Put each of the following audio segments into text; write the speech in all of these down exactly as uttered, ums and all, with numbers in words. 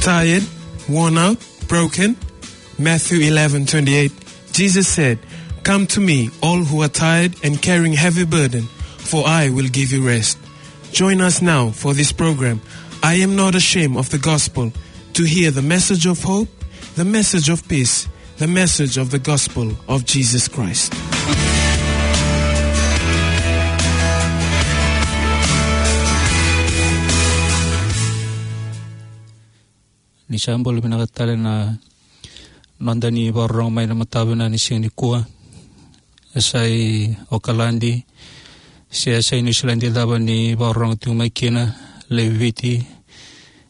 Tired, worn out, broken? Matthew eleven twenty-eight, Jesus said, "Come to me, all who are tired and carrying heavy burden, for I will give you rest." Join us now for this program, I Am Not Ashamed of the Gospel, to hear the message of hope, the message of peace, the message of the gospel of Jesus Christ. Ni sa bula vinaka tale na noda ni vakarorogo mai na mataka vinaka ni siga nikua. E sa i Okaladi, se e sa i Niusiladi cava ni vakarorogo tiko mai kina, lewe i Viti.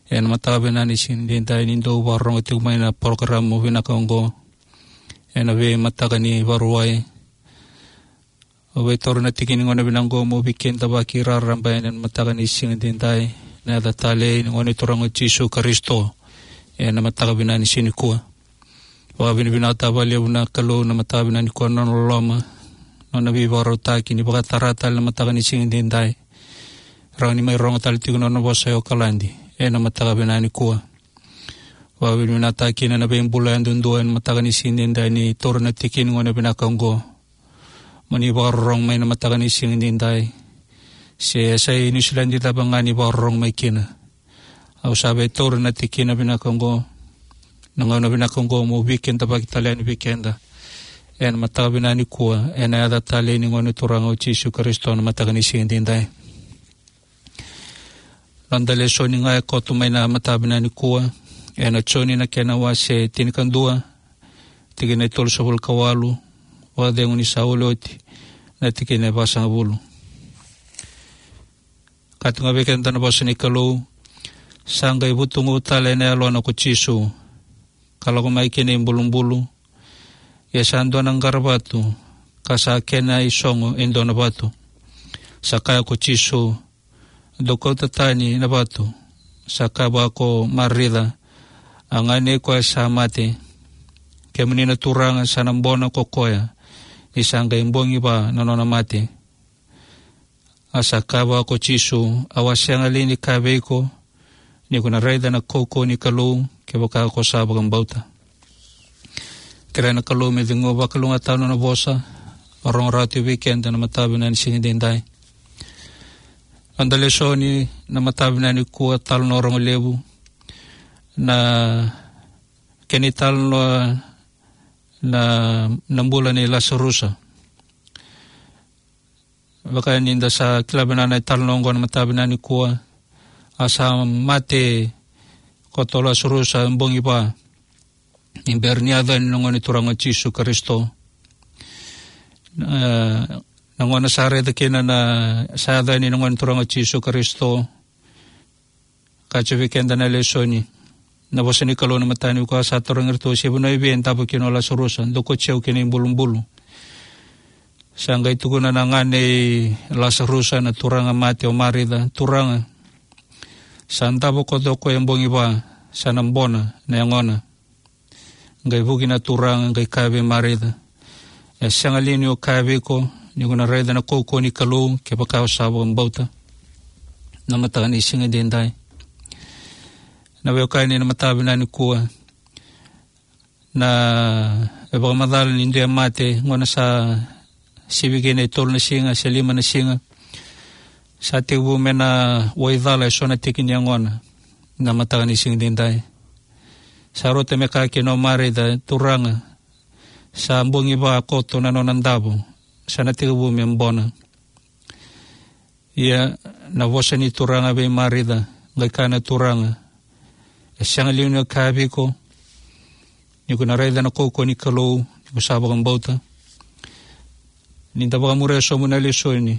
Ena mataka vinaka ni siga edaidai ni dau vakarorogo tiko mai na porokaramu vinaka oqo ena veimataka ni Vakarauwai. Au via taura na tiki ni gauna vinaka oqo meu veikidavaki raraba ena mataka ni siga edaidai, ena yaca talei ni Gone Turaga o Jisu Karisito, ena mataka vinaka ni siga nikua. Vakavinavinakataka vakalevu na Kalou na mataka vinaka nikua na nona loloma, nona veivakarautaki ni vakatara tale na mataka ni siga edaidai. Rawa ni mai rogo tale tiko na nona vosa e Okaladi ena mataka vinaka nikua. Vakavinavinakataka kina na veibula yadudua ena mataka ni siga edaidai ni taura na tiki ni gauna vinaka oqo mo ni vakarorogo mai na mataka ni siga edaidai. Se e sa i Niusiladi cava ga ni vakarorogo mai kina, au sa via taura na tikina vinaka oqo, na gauna vinaka oqo meu veikidavaki tale yani vei keda ena mataka vinaka nikua, ena yaca talei ni Gone Turaga o Jisu Karisito, na mataka ni siga edaidai. Noda lesoni ga e koto mai na mataka vinaka nikua, ena Joni na kena wase tinikadua, tikina e tolusagavulu ka walu, vakacegu ni sa wili oti na tikina e vasagavulu. Ka tukuna vei keda na vosa ni Kalou: Sa qai vutugu tale ena yalona ko Jisu, ka lako mai ki na ibulubulu. Ia sa dua na qaravatu, ka sa kena isogo e dua na vatu. Sa kaya ko Jisu: Dou kauta tani na vatu. Sa kaya vua ko Marica, a gane koya sa mate: Kemuni na Turaga, sa na bona ko koya, ni sa qai bogi va na nona mate. A sa kaya vua ko Jisu: Au a sega li ni kaya vei iko, ni ko na raica na kaukauwa ni Kalou, kevaka ko sa vakabauta? Kerea na Kalou me cegu vakalougatataka na nona vosa, rogo rawa tu vei keda na mataka vinaka ni siga edaidai. Noda lesoni na mataka vinaka nikua, talanoa rogo levu, na kena italanoa na, na bula nei Lasarusa. Vaka ni da sa kila vinaka na italanoa oqo na mataka vinaka nikua, a sa mate koto o Lasarusa bogi va ni bera ni yaco yani na Gone Turaga o Jisu Karisito. E, na gauna sa raica kina na, sa yaco yani na Gone Turaga o Jisu Karisito, ka tukuna vei keda na lesoni, na vosa ni Kalou na mataka nikua, sa tarogi iratou se vanua i vei e davo kina o Lasarusa. Dou kauti au ki na ibulubulu. Sa qai tukuna na gane i Lasarusa, na turaga mate, o Marica: Turaga, sa davo koto o koya bogi va, sa na bona na yagona. Qai vuki na Turaga, qai kaya vei Marica: E sega li niu kaya vei iko, ni ko na raica na kaukauwa ni Kalou, kevaka o sa vakabauta? Na mataka ni siga edaidai, na veiwekani, na mataka vinaka nikua, na, e vakamacala ni dua e mate, gauna sa sivi kina e tolu na siga se lima na siga, sa tekivu me na waicala eso na tiki ni yagona. Na mataka ni siga edaidai, sa rauta me kaya kina o Marica: Turaga, sa bogi va koto na nona davo, sa na tekivu me bona. Ia na vosa ni Turaga vei Marica, qai kaya na Turaga: E sega li niu kaya vei iko, ni ko na raica na kaukauwa ni Kalou, ni ko sa vakabauta? Ni da vakamuria sobu na lesoni,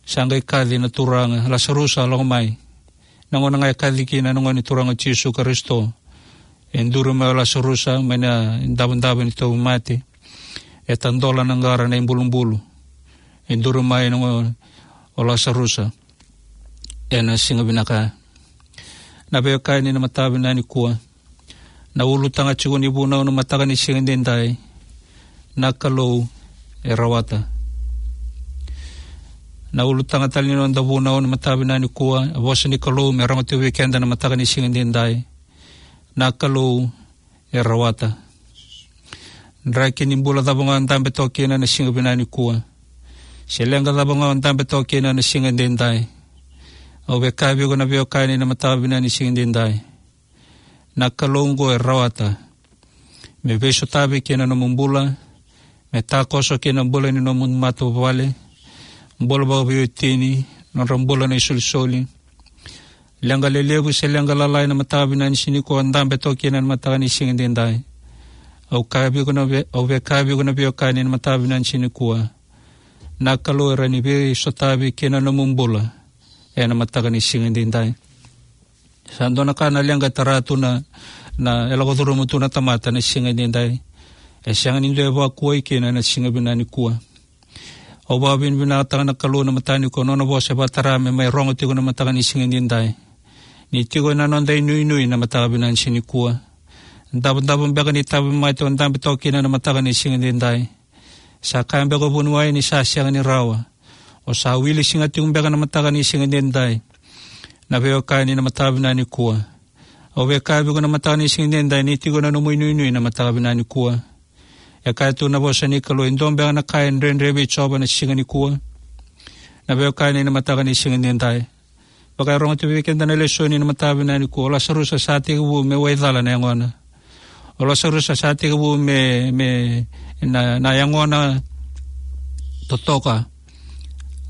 sa qai kaci na Turaga: Lasarusa, lako mai. Na gauna ga e kaci kina na Gone Turaga o Jisu Karisito, e duri mai o Lasarusa mai na davodavo ni tauvimate. E tadola na qara na ibulubulu. E duri mai na Gone, o Lasarusa, ena siga vinaka. Na veiwekani, na mataka vinaka nikua, na ulutaga tiko ni vunau na mataka ni siga edaidai: Na Kalou e rawata. Na ulutaga tale ni noda vunau na mataka vinaka nikua, a vosa ni Kalou me rogo tiko vei keda na mataka ni siga edaidai: Na Kalou e rawata. Draki ni bula cava ga o dabe toka kina na siga vinaka nikua, se leqa cava ga o dabe toka kina na siga edaidai, au via kaya vei iko na veiwekani na mataka vinaka ni siga edaidai, na Kalou oqo e rawata me veisotavi kina nomu bula, me takoso kina bula ni nomu matavuvale, bula vakaveiwatini, nodra bula na isolisoli. Leqa lelevu se leqa lalai na mataka vinaka ni siga nikua o dabe toka kina na mataka ni siga edaidai, au kaya vei iko na vei-, au via kaya vei iko na veiwekani na mataka vinaka ni siga nikua, na Kalou e rawa ni veisotavi kina nomu bula ena mataka ni siga edaidai. Sa dua na ka na leqa e tara tu na, na, e lako curuma tu na tamata na siga edaidai. E sega ni dua e vakuai kina na siga vinaka nikua. Au vakavinavinakataka na Kalou na mataka nikua, nona vosa e vakatara me mai rogo tiko na mataka ni siga edaidai. Ni tiko ena noda inuinui na mataka vinaka ni siga nikua. Davodavo beka ni tauvimate o dabe toka kina na mataka ni siga edaidai. Sa kaya beka o vuniwai ni sa sega ni rawa. O sa wili siga tiko beka na mataka ni siga edaidai, na veiwekani na mataka vinaka nikua. Au via kaya vei iko na mataka ni siga edaidai, ni tiko na nomu inuinui na mataka vinaka nikua. E kaya tu na vosa ni Kalou, e dua beka na ka e dredre vei Jiova na siga nikua, na veiwekani na mataka ni siga edaidai. Vaka e rogo tu vei keda na lesoni na mataka vinaka nikua, o Lasarusa sa tekivu me waicala na yagona. O Lasarusa sa tekivu me, me na, na yagona totoka.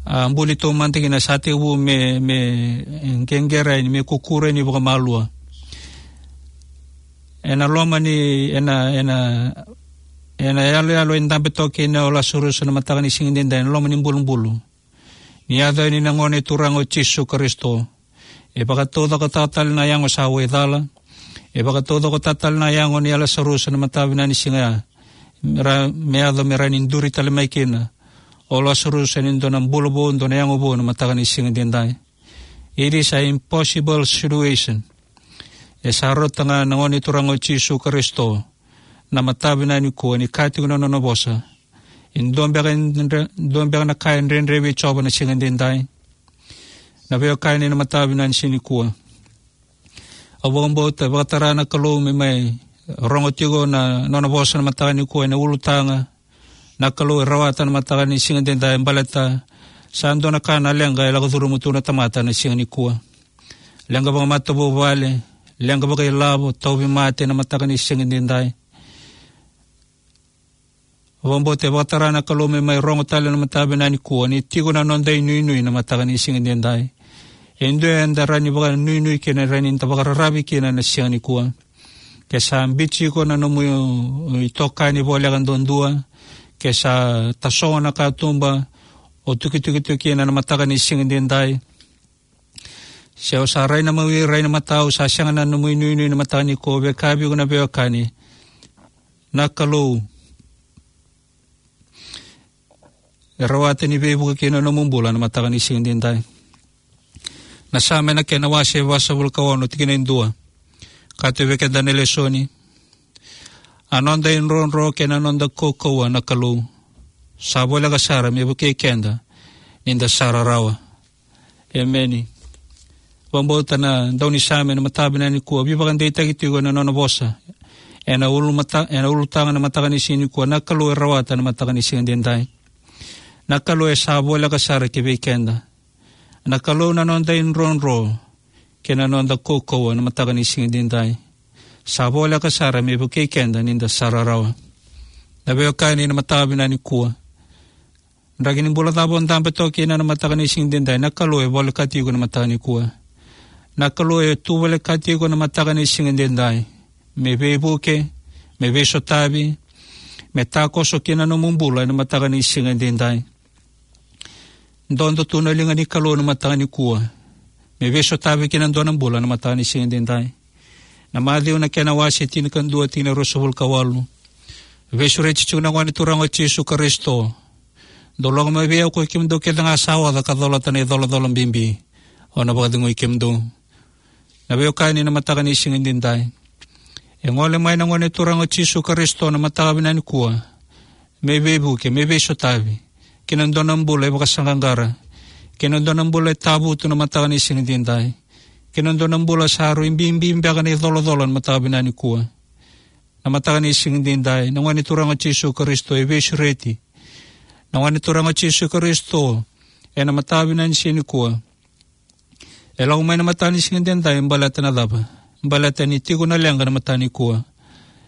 A buli taumada kina sa tekivu me, me qeqera yani, me kukura yani vakamalua. Ena loma ni, ena, ena, ena yaloyalo e dabe toka kina o Lasarusa na mataka ni siga edaidai, ena loma ni bulubulu. Ni yaco yani na Gone Turaga o Jisu Karisito, e vakataucokotaka tale na yago sa waicala. E vakataucokotaka tale na yago nei Lasarusa na mataka vinaka ni siga ya, me ra, me yaco me rawa ni duri tale mai kina o Lasarusa ena dua na bula vou, dua na yago vou na mataka ni siga edaidai. It is an impossible situation. E sa rauta ga na Gone Turaga o Jisu Karisito na mataka vinaka nikua, ni kaya tiko na nona vosa, e dua beka, dua beka na ka e dredre vei Jiova na siga edaidai, na veiwekani na mataka vinaka ni siga nikua. Au vakabauta e vakatara na Kalou me mai rogo tiko na nona vosa na mataka nikua ena ulutaga. Na Kalou e rawata na mataka ni siga edaidai, baleta sa dua na ka na leqa e lako curuma tu na tamata na siga nikua. Leqa vakamatavuvale, leqa vakailavo, tauvimate na mataka ni siga edaidai. Vakabauta e vakatara na Kalou me mai rogo tale na mataka vinaka nikua, ni tiko na noda inuinui na mataka ni siga edaidai. E dua eda rawa ni vakanuinui kina, rawa ni da vakararavi kina na siga nikua. Ke sa biuti iko na nomu itokani voleka duadua, ke sa tasogo na katuba o tukituki tu kina na mataka ni siga edaidai, se o sa rai na mawi, rai na matau, sa sega na nomu inuinui na mataka nikua, au via kaya vei iko na veiwekani, na Kalou e rawata ni veivuke kina nomu bula na mataka ni siga edaidai. Na Same na kena wase vasagavulu ka ono, tikina e dua. Kaya tu vei keda na lesoni: A noda idrodro kei na noda kaukauwa na Kalou, sa voleka sara me vukei keda ni da sa rarawa. Emeni. Vakabauta na daunisame na mataka vinaka nikua veivakadeitaki tiko ena nona vosa ena ulumata, ena ulutaga na mataka ni siga nikua, na Kalou e rawata na mataka ni siga edaidai. Na Kalou e sa voleka sara ki vei keda. Na Kalou na noda idrodro kei na noda kaukauwa na mataka ni siga edaidai, sa voleka sara me vukei keda ni da sa rarawa. Na veiwekani na mataka vinaka nikua, draki ni bula cava o dabe toka kina na mataka ni siga edaidai, na Kalou e volekati iko na mataka nikua. Na Kalou e tu volekati iko na mataka ni siga edaidai me veivuke, me veisotavi, me takoso kina nomu bula ena mataka ni siga edaidai. Dodo tu na liga ni Kalou na mataka nikua me veisotavi kina dua na bula na mataka ni siga edaidai. Na Maciu na kena wase tinikadua, tikina ruasagavulu ka walu. Veisureti tiko na Gone Turaga o Jisu Karisito: Dou lako mai vei au koi kemudou kece ga sa oca ka colata na icolacola bibi, au na vakacegui kemudou. Na veiwekani na mataka ni siga edaidai, e gole mai na Gone Turaga o Jisu Karisito na mataka vinaka nikua me veivuke, me veisotavi kina dua na bula e vakasaqaqara, kina dua na bula e tavutu na mataka ni siga edaidai, Kei na dua na bula sa rui bibi beka na icolacola na mataka vinaka nikua. Na mataka ni siga edaidai, na Gone Turaga o Jisu Karisito e veisureti. Na Gone Turaga o Jisu Karisito, ena mataka vinaka ni siga nikua, e lako mai na mataka ni siga edaidai, baleta na cava? Baleta ni tiko na leqa na mataka nikua.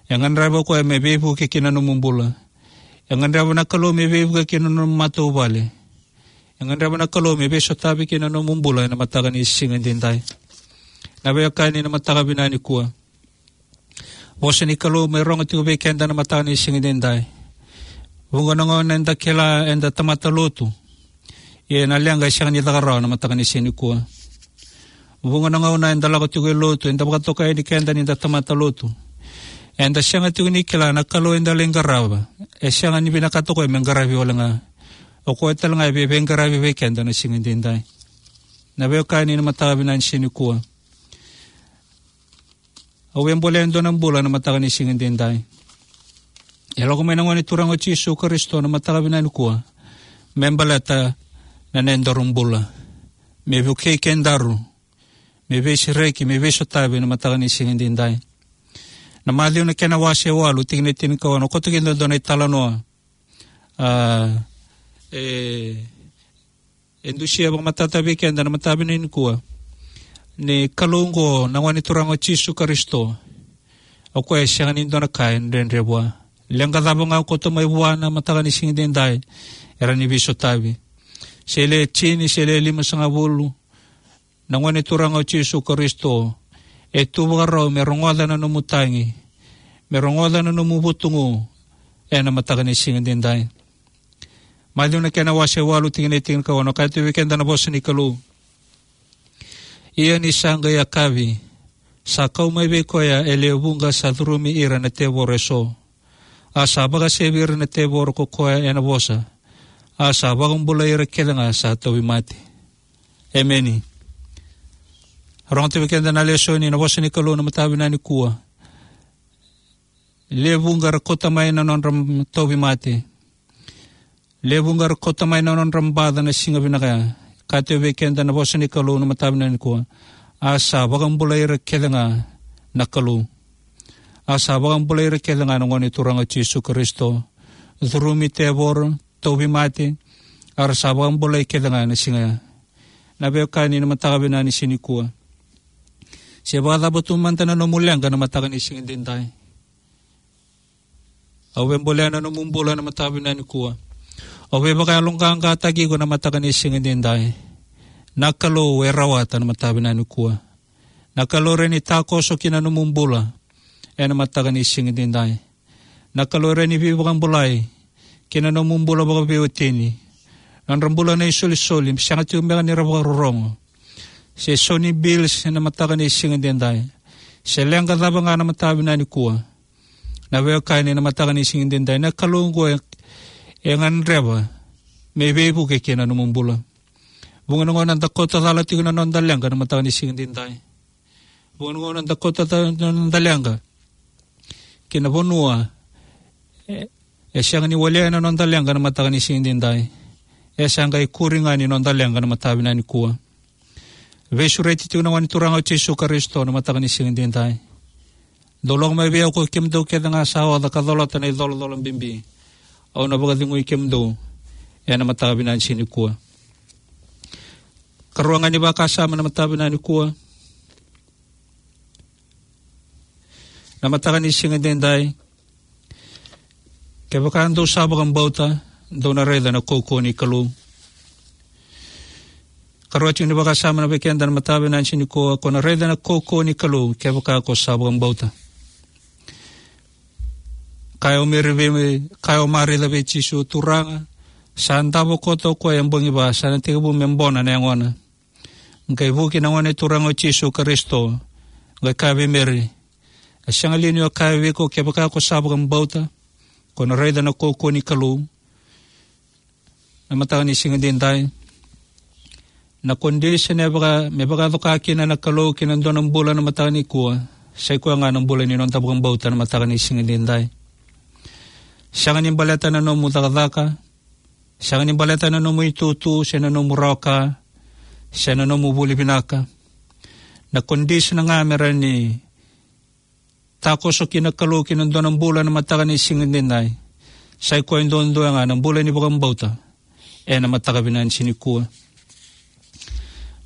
E gadreva o koya me veivuke ki na nomu bula. E gadreva na Kalou me veivuke ki na nomu matavuvale. E gadreva na Kalou me veisotavi ki na nomu bula ena mataka ni siga edaidai. Na veiwekani, na mataka vinaka nikua, vosa ni Kalou me rogo tiko vei keda na mataka ni siga edaidai. Vuqa na gauna eda kila eda tamata lotu, ia na leqa e sega ni caka rawa na mataka ni siga nikua. Vuqa na gauna eda lako tiko e lotu, eda vakatokai ni keda ni da tamata lotu. Eda sega tiko ni kila na Kalou eda lai qarava, e sega ni vinakata o koya me qaravi wale ga. O koya tale ga e vei, veiqaravi vei keda na siga edaidai. Na veiwekani, na mataka vinaka ni siga nikua, au via bolea e dua na bula na mataka ni siga edaidai. E lako mai na Gone Turaga o Jisu Karisito na mataka vinaka nikua me baleta na nodaru bula, me vukei kedaru, me veisereki, me veisotavi na mataka ni siga edaidai. Na Maciu na kena wase walu, tikina e tinikaono, koto kina e dua na italanoa. A, e, e dusia vakamatata vei keda na mataka vinaka nikua ni Kalou oqo, na Gone Turaga o Jisu Karisito, o koya e sega ni dua na ka e dredre vua. Leqa cava ga koto mai vua na mataka ni siga edaidai, e rawa ni veisotavi. Se le tini, se le limasagavulu, na Gone Turaga o Jisu Karisito e tu vakarau me rogoca na nomu tagi, me rogoca na nomu vutugu ena mataka ni siga edaidai. Maciu na kena wase walu, tikina e tinikaono, kaya tu vei keda na vosa ni Kalou: Ia ni sa qai yakavi, sa kau mai vei koya e lewe vuqa sa curumi ira na tevoro eso. A sa vakasevi ira na tevoro ko koya ena vosa. A sa vakabulai ira kece ga sa tauvimate. Emeni. Rogoca vei keda na lesoni, na vosa ni Kalou na mataka vinaka nikua. Lewe vuqa era kauta mai na nodra tauvimate. Lewe vuqa era kauta mai na nodra baca na siga vinaka ya. Kaya tu vei keda na vosa ni Kalou na mataka vinaka nikua: A sa vakabulai ira kece ga na Kalou. A sa vakabulai ira kece ga na Gone Turaga o Jisu Karisito. Curumi tevoro, tauvimate, a ra sa vakabulai kece ga na siga ya. Na veiwekani, na mataka vinaka ni siga nikua, se vakacava tu mada na nomu leqa na mataka ni siga edaidai, au via bolea na nomu bula na mataka vinaka nikua. Au via vakayaloqaqataki iko na mataka ni siga edaidai. Na Kalou e rawata na mataka vinaka nikua. Na Kalou e rawa ni takoso ki na nomu bula ena mataka ni siga edaidai. Na Kalou e rawa ni veivakabulai ki na nomu bula vakaveiwatini. Nodra bula na isolisoli, sega tiko beka ni ra vakarorogo. Se so ni bills ena mataka ni siga edaidai, se leqa cava ga na mataka vinaka nikua, na veiwekani, na mataka ni siga edaidai, na Kalou oqo e, e gadreva me veivuke ki na nomu bula. Vuqa na gauna da kauta cala tiko na noda leqa na mataka ni siga edaidai. Vuqa na gauna da kauta cala na noda leqa ki na vanua e, e sega ni walia na noda leqa na mataka ni siga edaidai. E sa qai ikuri ga ni noda leqa na mataka vinaka nikua. Veisureti tiko na Gone Turaga o Jisu Karisito na mataka ni siga edaidai. Dou lako mai vei au ko kemudou kece ga sa oca ka colata na icolacola bibi, au na vakacegui kemudou ena mataka vinaka ni siga nikua. Karua ga ni vakasama na mataka vinaka nikua. Na mataka ni siga edaidai, kevaka dou sa vakabauta, dou na raica na kaukauwa ni Kalou. Karua tiko ni vakasama na vei keda na mataka vinaka ni siga nikua, ko na raica na kaukauwa ni Kalou kevaka ko sa vakabauta. Kaya o Meri vei, kaya o Marica vei Jisu: Turaga, sa davo koto o koya e bogi va, sa na tekivu me bona na yagona. Qai vuki na Gone Turaga o Jisu Karisito, qai kaya vei Meri: A sega li niu kaya vei iko, kevaka ko sa vakabauta, ko na raica na kaukauwa ni Kalou? Na mataka ni siga edaidai, na condition e vaka, me vakacoka kina na Kalou ki na dua na bula na mataka nikua, sa i koya ga na bula ni noda vakabauta na mataka ni siga edaidai. Sega ni baleta na nomu cakacaka, sega ni baleta na nomu itutu, se na nomu rawa ka, se na nomu vuli vinaka. Na condition ga me rawa ni takoso kina na Kalou kina dua na bula ena mataka ni siga edaidai, sa i koya duadua ga na bula ni vakabauta ena mataka vinaka ni siga nikua.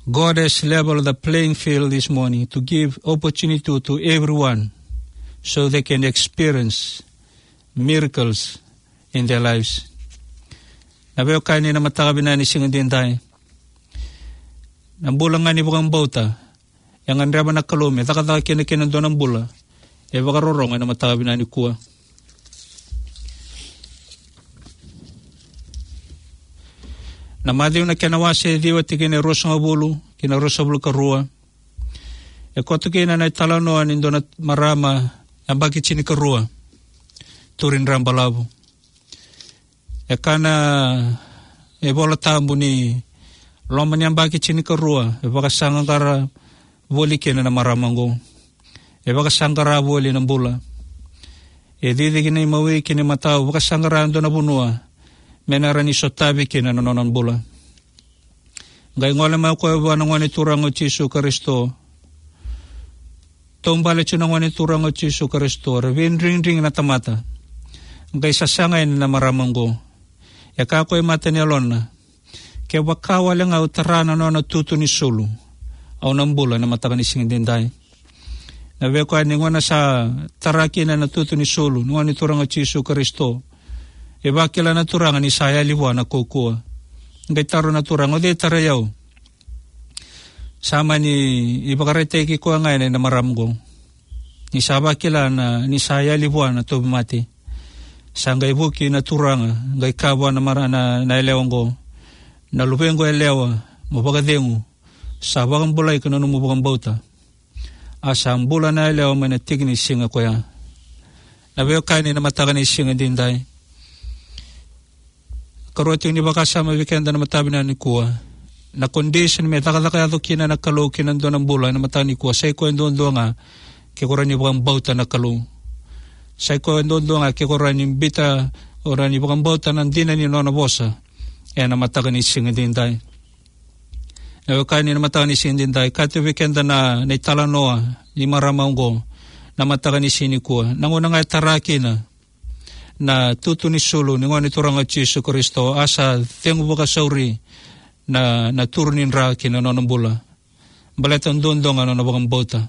God has leveled the playing field this morning to give opportunity to everyone so they can experience miracles in their lives. Na veiwekani, ena mataka vinaka ni siga edaidai, na bula ga ni vakabauta e gadreva na Kalou me cakacaka kina kei na dua na bula e vakarorogo ena mataka vinaka nikua. Na Maciu na kena wase e ciwa, tikina e ruasagavulu ki na ruasagavulu ka rua, e koto kina na italanoa ni dua na marama yabaki tinikarua, turi dra balavu. E kaya na iVola Tabu ni loma ni yabaki tinikarua e vakasaqara voli kina na marama oqo. E vakasaqara voli na bula. E cici ki na imawi ki na imatau, vakasaqara e dua na vanua me na rawa ni sotavi kina na nona bula. Qai gole mai o koya vua na Gone Turaga o Jisu Karisito. Taubale tiko na Gone Turaga o Jisu Karisito, ra veidrigidrigi na tamata. Qai sasaga yani na marama oqo. E kaya o koya e mata ni yalona, kevaka wale ga au tara na nona tutu ni sulu, au na bula ena mataka ni siga edaidai. Na veiwekani, gauna sa tara kina na tutu ni sulu ni Gone Turaga o Jisu Karisito, e vakila na Turaga ni sa yali vua na kaukauwa. Qai taro na Turaga, o cei e tarai au? Sa mani ivakaraitaki koya ga yani na marama oqo ni sa vakila na, ni sa yali vua na tauvimate. Sa qai vuki na Turaga, qai kaya vua na mara-, na, na yalewa oqo, na luvequ yalewa, mo vakacegu, sa vakabulai iko na nomu vakabauta. A sa bula na yalewa mai na tiki ni siga koya. Na veiwekani, ena mataka ni siga edaidai, karua tiko ni vakasama vei keda ena mataka vinaka nikua. Na condition me cakacaka yaco kina na Kalou kina dua na bula ena mataka nikua, sa i koya duadua ga ke ko rawa ni vakabauta na Kalou. Sa i koya duadua ga ke ko rawa ni biuta, o rawa ni vakabauta na dina ni nona vosa ena mataka ni siga edaidai. Na veiwekani, ena mataka ni siga edaidai, kaya tiko vei keda na, na italanoa ni marama oqo ena mataka ni siga nikua. Na gauna ga e tara kina na tutu ni sulu ni Gone Turaga o Jisu Karisito, a sa cegu vakasauri na, na turu ni dra ki na nona bula. Baleta duadua ga na nona vakabauta.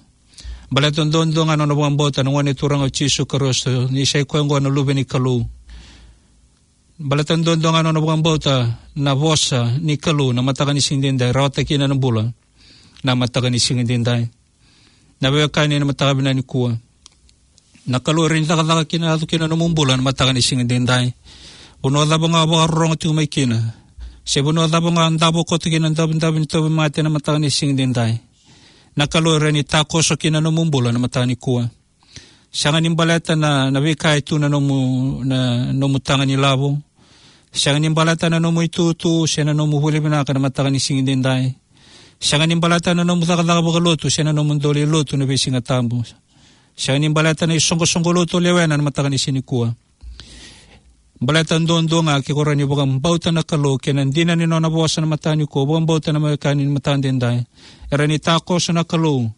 Baleta duadua ga na nona vakabauta na Gone Turaga o Jisu Karisito, ni sa i koya oqo na Luve ni Kalou. Baleta duadua ga na nona vakabauta na vosa ni Kalou ena mataka ni siga edaidai, rawata kina na bula ena mataka ni siga edaidai. Na veiwekani, ena mataka vinaka nikua, na Kalou e rawa ni cakacaka kina, yaco kina na nomu bula ena mataka ni siga edaidai. Vanua cava ga o vakarorogo tiko mai kina, se vanua cava ga o davo koto kina na davidavi ni tauvimate ena mataka ni siga edaidai, na Kalou e rawa ni takoso kina na nomu bula ena mataka nikua. Sega ni baleta na, na veika e tu ena nomu, na nomu taga ni lavo. Sega ni baleta na nomu itutu se na nomu vuli vinaka ena mataka ni siga edaidai. Sega ni baleta na nomu cakacaka vakalotu se na nomu dau lai lotu ena veisiga tabu. Sega ni baleta na isoqosoqo lotu o lewena ena mataka ni siga nikua. Baleta duadua ga ke ko rawa ni vakabauta na Kalou kei na dina ni nona vosa ena mataka nikua, vakabauta na veiwekani ena mataka edaidai, e rawa ni takoso na Kalou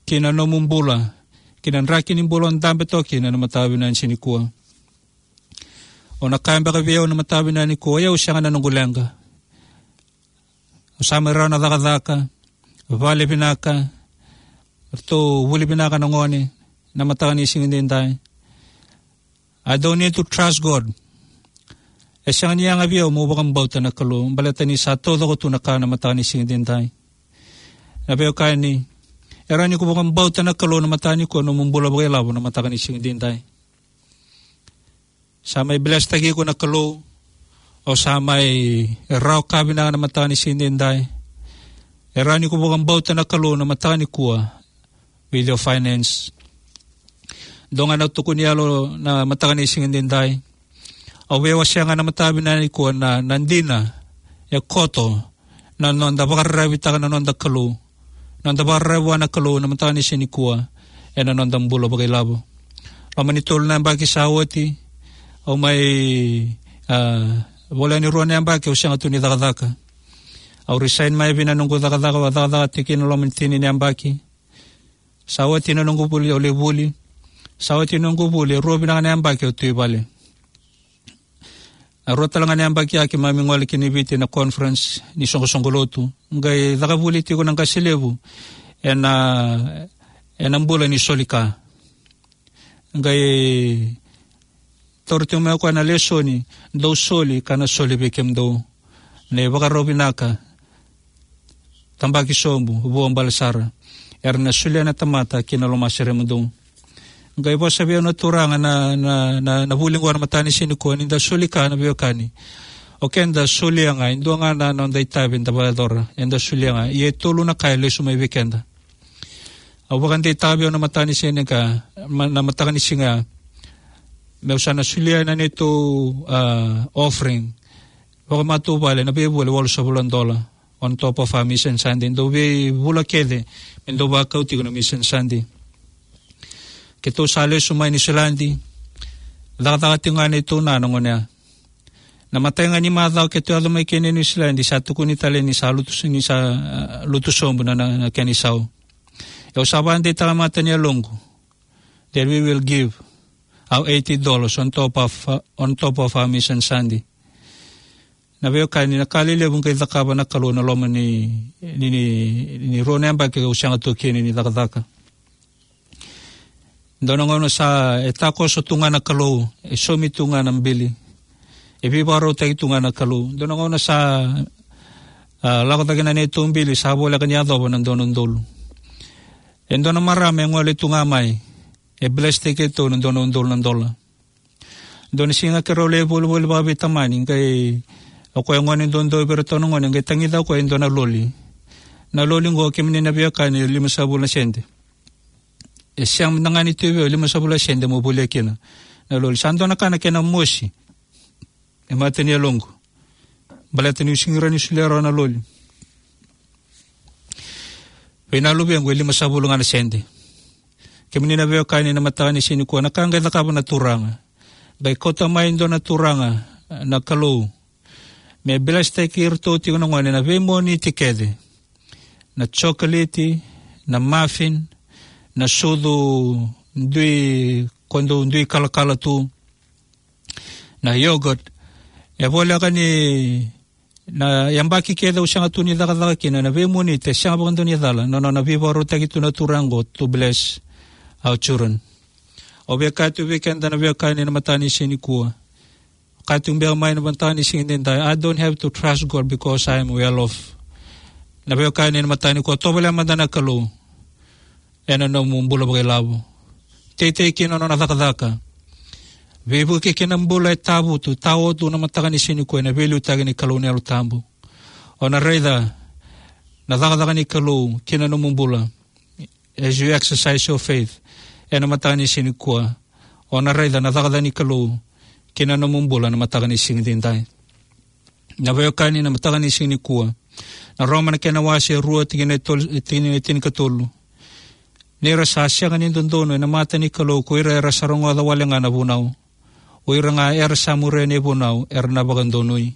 ki na nomu bula, ki na draki ni bula o dabe toka kina ena mataka vinaka ni siga nikua. O na kaya beka vei au ena mataka vinaka nikua, o yau sega na noqu leqa. Au sa mai rawa na cakacaka, vale vinaka, ratou vuli vinaka na gone ena mataka ni siga edaidai. I don't need to trust God. E sega ni yaga vei au meu vakabauta na Kalou, baleta ni sa taucoko tu na ka ena mataka ni siga edaidai. Na veiwekani, e rawa ni ko vakabauta na Kalou ena mataka nikua, nomu bula vakailavo ena mataka ni siga edaidai. Sa mai blesstaki iko na Kalou, o sa mai rawa ka vinaka ena mataka ni siga edaidai. E rawa ni ko vakabauta na Kalou ena mataka nikua with your finance. Dua ga na tukuni yalo ena mataka ni siga edaidai. Au via wasea ga ena mataka vinaka nikua na, na dina e koto na noda vakararavitaka na noda Kalou, noda vakararavi vua na Kalou ena mataka ni siga nikua ena noda bula vakailavo. Loma ni tolu na yabaki sa oti, au mai, ah, voleka ni rua na yabaki au sega tu ni cakacaka. Au resign mai vei na noqu cakacaka au a cakacaka tiko kina loma ni tini na yabaki. Sa oti na noqu vuli, au lai vuli. Sa oti na noqu vuli, e rua vinaka na yabaki au tu i vale. A rua tale ga na yabaki a keimami gole ki na Viti na conference ni soqosoqo lotu. Qai caka vuli tiko na qase levu ena, ena bula ni soli ka. Qai tauri tiko mai o koya na lesoni: Dou soli, ka na soli vei kemudou. Na ivakarau vinaka, tabaki sobu, vuabale sara. Era na solia na tamata ki na lomaseremudou. Qai vosa vei au na turaga na, na, na, na vuli qo na mataka ni siga nikua, ni da soli ka, na veiwekani, o keda solia ga e dua ga na noda itavi eda vakayacora, eda solia ga. Ia e tolu na ka e lesu mai vei keda. Au vakadeitaka vei au na mataka ni siga nikua, ma-, na mataka ni siga, meu sa na solia na neitou, ah, offering vakamatavuvale, na veivula e walusagavulu na dola, on top of our Mission Sunday. Dou veivula kece me dou vakau tiko na Mission Sunday. Keitou sa lesu mai Niusiladi, cakacaka tiko ga neitou na, na gone ya. Na imatai ga ni macawa keitou yaco mai kina i Niusiladi, sa tukuni tale ni sa lutu, ni sa, ah, lutu sobu na, na, na kena isau. Au sa vakadeitaka e mata ni yaloqu that we will give our eighty dollars on top of, uh, on top of our Mission Sunday. Na veiwekani, na ka lelevu qai cakava na Kalou ena loma ni, ni, ni, ni rua na yabaki au sega tu kina ni cakacaka. Dua na gauna sa, e takoso tu ga na Kalou, e saumi tu ga na bili, e veivakarautaki tu ga na Kalou. Dua na gauna sa, ah, lako cake na neitou bili, sa voleka ni yacova na dua na udolu. E dua na marama e gole tu ga mai, e bless-taki keitou na dua na udolu na dola. Dua na siga keirau lai volivoli vakaveitamani, qai o koya e gone duadua vei iratou na gone, qai tagica o koya e dua na loli. Na loli qo, kemuni na veiwekani, e limasagavulu na sede. E sega mada ga ni tu vei au e limasagavulu na sede mo volia kina na loli. Sa dua na ka na kena mosi e mata ni yaloqu, baleta niu sega ni rawa ni solia rawa na loli vei na luvequ e limasagavulu ga na sede. Kemuni na veiwekani, na mataka ni siga nikua, na ka qai cakava na Turaga, qai kauta mai e dua na turaga na Kalou me bless-taki iratou tiko na gone na veimoniti kece: na chocolate, na muffin, na sucu dui, ko dau dui kalakala tu, na yogurt. E voleka ni na yabaki kece au sega tu ni cakacaka kina, na veimoniti e sega vakadua ni cala na nona veivakarautaki tu na Turaga qo to bless our children. Au via kaya tu vei keda na veiwekani na mataka ni siga nikua, kaya tu beka mai na mataka ni siga edaidai, I don't have to trust God because I am well off. Na veiwekani na mataka nikua, tovolea mada na Kalou ena nomu bula vakailavo. Teitei kina na nona cakacaka. Veivuke kina na bula e tavutu, taotu na mataka ni siga nikua ena veiliutaki ni Kalou na Yalo Tabu. O na raica na cakacaka ni Kalou kina nomu bula as you exercise your faith ena mataka ni siga nikua. O na raica na cakacaka ni Kalou kina nomu bula na mataka ni siga edaidai. Na veiwekani na mataka ni siga nikua, na Roma na kena wase e rua, tikina e tolu, tikina e tinikatolu: Ni ra sa sega ni dodonu ena mata ni Kalou ko ira era sa rogoca wale ga na vunau, o ira ga era sa muria na ivunau era na vakadonui.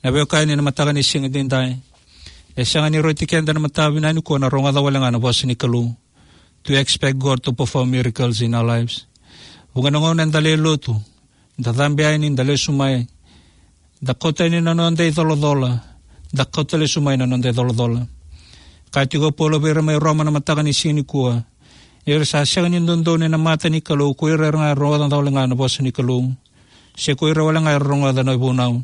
Na veiwekani na mataka ni siga edaidai, e sega ni rauti keda na mataka vinaka nikua na rogoca wale ga na vosa ni Kalou, to expect God to perform miracles in our lives. Vuqa na gauna eda lai lotu, da cabe yani, da lesu mai, da kauta yani na noda icolacola, da kauta lesu mai na noda icolacola. Kaya tiko o Paula vei ira mai Roma na mataka ni siga nikua, ni ra sa sega ni dodonu ena mata ni Kalou ko ira era ga rogoca wale ga na vosa ni Kalou, se ko ira wale ga era rogoca na ivunau,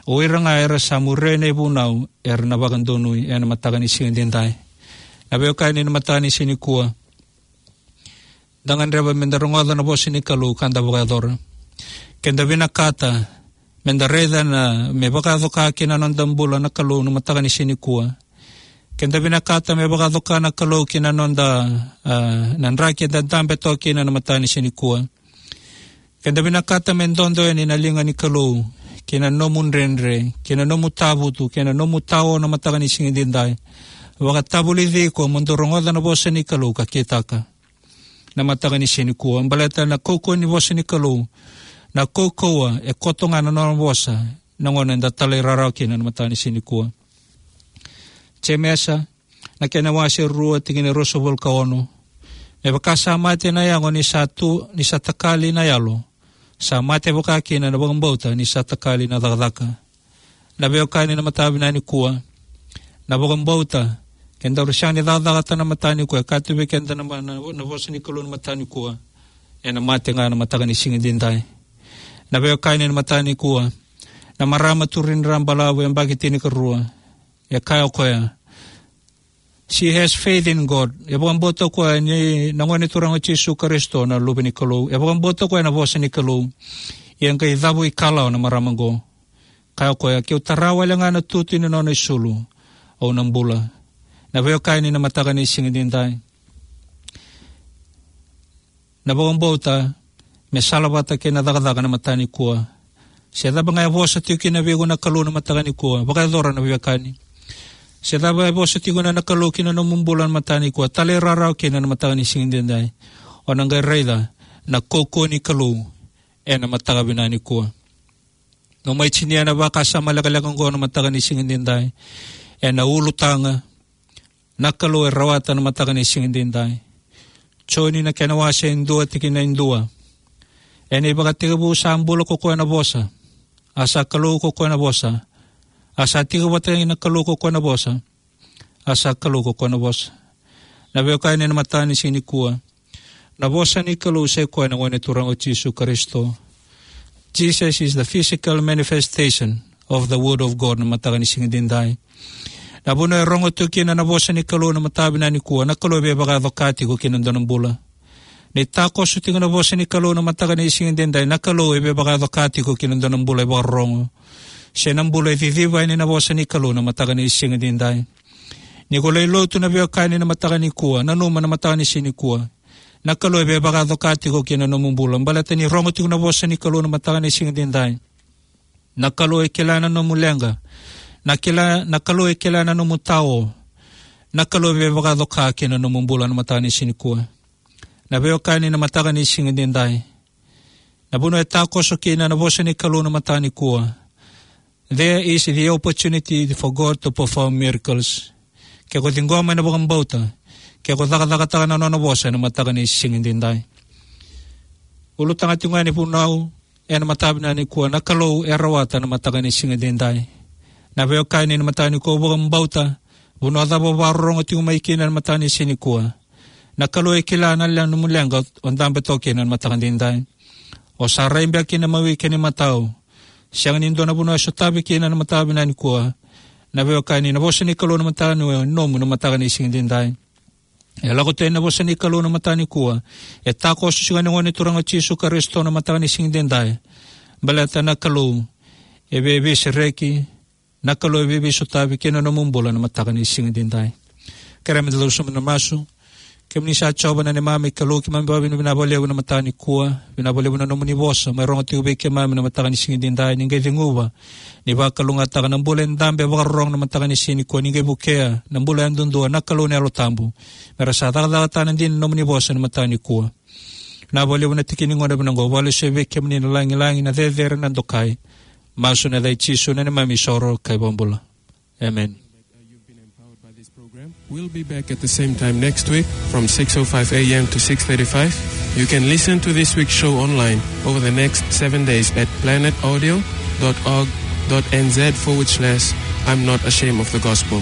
o ira ga era sa muria na ivunau era na vakadonui ena mataka ni siga edaidai. Na veiwekani na mataka ni siga nikua, da gadreva meda rogoca na vosa ni Kalou ka da vakayacora. Keda vinakata meda raica na, me vakayaco ka kina noda bula na Kalou na mataka ni siga nikua. Keda vinakata me vakayaco ka na Kalou kina noda, ah, na draki eda dabe toka kina na mataka ni siga nikua. Keda vinakata me dodo yani na liga ni Kalou kina nomu dredre, kina nomu tavutu, kina nomu tao na mataka ni siga edaidai. Vakatavulici iko mo dou rogoca na vosa ni Kalou ka kitaka na mataka ni siga nikua. Baleta na kaukauwa ni vosa ni Kalou, na kaukauwa e koto ga na nona vosa na gauna eda talairawarawa kina na mataka ni siga nikua. Jemesa na kena wase rua, tikina e ruasagavulu ka ono: Me vaka sa mate na yago ni sa tu, ni sa takali na yalo, sa mate vaka kina na vakabauta ni sa takali na cakacaka. Na veiwekani na mataka vinaka nikua, na vakabauta, ke daru sega ni cakacakataka na mataka nikua, e kaya tu vei keda na, na, na vosa ni Kalou na mataka nikua, ena mate ga na mataka ni siga edaidai. Na veiwekani na mataka nikua, na marama Turini Rabalavu, yabaki tinikarua, e kaya o koya, she has faith in God. E vakabauta o koya ni na Gone Turaga o Jisu Karisito na Luve ni Kalou. E vakabauta o koya na vosa ni Kalou. Ia e qai cavu ikalawa na marama qo. Kaya o koya, keu tara wale ga na tutu ni nona isulu, au na bula. Na veiwekani na mataka ni siga edaidai, na vakabauta me salavata kei na cakacaka na mataka nikua. Se cava ga e vosa tiko kina vei iko na Kalou na mataka nikua, vakayacora na veiwekani. Se cava e vosa tiko kina na Kalou ki na nomu bula na mataka nikua, talairawarawa kina na mataka ni siga edaidai. O na qai raica na kaukauwa ni Kalou ena mataka vinaka nikua. Nomu mai tinia na vakasama lekaleka oqo na mataka ni siga edaidai. Ena ulutaga, na Kalou e rawata na mataka ni siga edaidai. Joni na kena wase e dua tikina e dua. Ena ivakatekivu sa bula ko koya na Vosa. A sa Kalou ko koya na Vosa. A sa tiko vata kei na Kalou ko koya na Vosa. A sa Kalou ko koya na Vosa. Na veiwekani na mataka ni siga nikua, na vosa ni Kalou sa i koya na Gone Turaga o Jisu Karisito. Jesus is the physical manifestation of the word of God na mataka ni siga edaidai. Na vanua e rogo tiko kina na vosa ni Kalou na mataka vinaka nikua, na Kalou e veivakayaco ka tiko kina dua na bula. Ni takoso tiko na vosa ni Kalou na mataka ni siga edaidai, na Kalou e veivakayaco ka tiko kina dua na bula e vakarorogo. Se na bula e ciciva yani na vosa ni Kalou na mataka ni siga edaidai. Ni ko lai lotu na veiwekani na mataka nikua, nanuma na mataka ni siga nikua, na Kalou e veivakayaco ka tiko kina nomu bula. Baleta ni rogo tiko na vosa ni Kalou na mataka ni siga edaidai, na Kalou e kila na nomu leqa. Na kila, na Kalou e kila na nomu tao. Na Kalou e veivakayaco ka kina nomu bula na mataka ni siga nikua. Na veiwekani na mataka ni siga edaidai, na vanua e takoso kina na vosa ni Kalou na mataka nikua, there is the opportunity for God to perform miracles. Ke ko ciqoma ena vakabauta, ke ko cakacakataka na nona vosa ena mataka ni siga edaidai. Ulutaga tiko ga ni vunau ena mataka vinaka nikua, na Kalou e rawata na mataka ni siga edaidai. Na veiwekani na mataka nikua, vakabauta, vanua cava o vakarorogo tiko mai kina ena mataka ni siga nikua, na Kalou e kila na le-, nomu leqa o dabe toka kina ena mataka edaidai. O sa rai beka kina mawi kei na imatau. Sega ni dua na vanua e sotavi kina na mataka vinaka nikua. Na veiwekani, na vosa ni Kalou na mataka ni, nomu na mataka ni siga edaidai. E lako tu ena vosa ni Kalou na mataka nikua. E takoso tiko ena Gone Turaga o Jisu Karisito na mataka ni siga edaidai. Baleta na Kalou e vei, veisereki, na Kalou e vei, veisotavi kina nomu bula na mataka ni siga edaidai. Kerea meda lau sobu ena masu. Kemuni sa Jiova na neimami Kalou, keimami vakavinavinaka vakalevu na mataka nikua. Vinaka vakalevu na nomuni vosa mai rogo tiko vei keimami na mataka ni siga edaidai. Ni qai ceguva, ni vakalougatataka na bula e dabe vakarorogo na mataka ni siga nikua. Ni qai vukea na bula yadudua na Kalou na Yalo Tabu, me ra sa cakacakataka na dina ni nomuni vosa na mataka nikua. Vinaka vakalevu na tiki ni gauna vinaka oqo. Vakalesuya vei kemuni na lagilagi, na cecere, na dokai. Masu ena yaca i Jisu na neimami isoro ka iVakabula. Amen. You've been empowered by this program. We'll be back at the same time next week from six oh five a m to six thirty-five. You can listen to this week's show online over the next seven days at planet audio dot org dot n z forward slash I'm not ashamed of the gospel.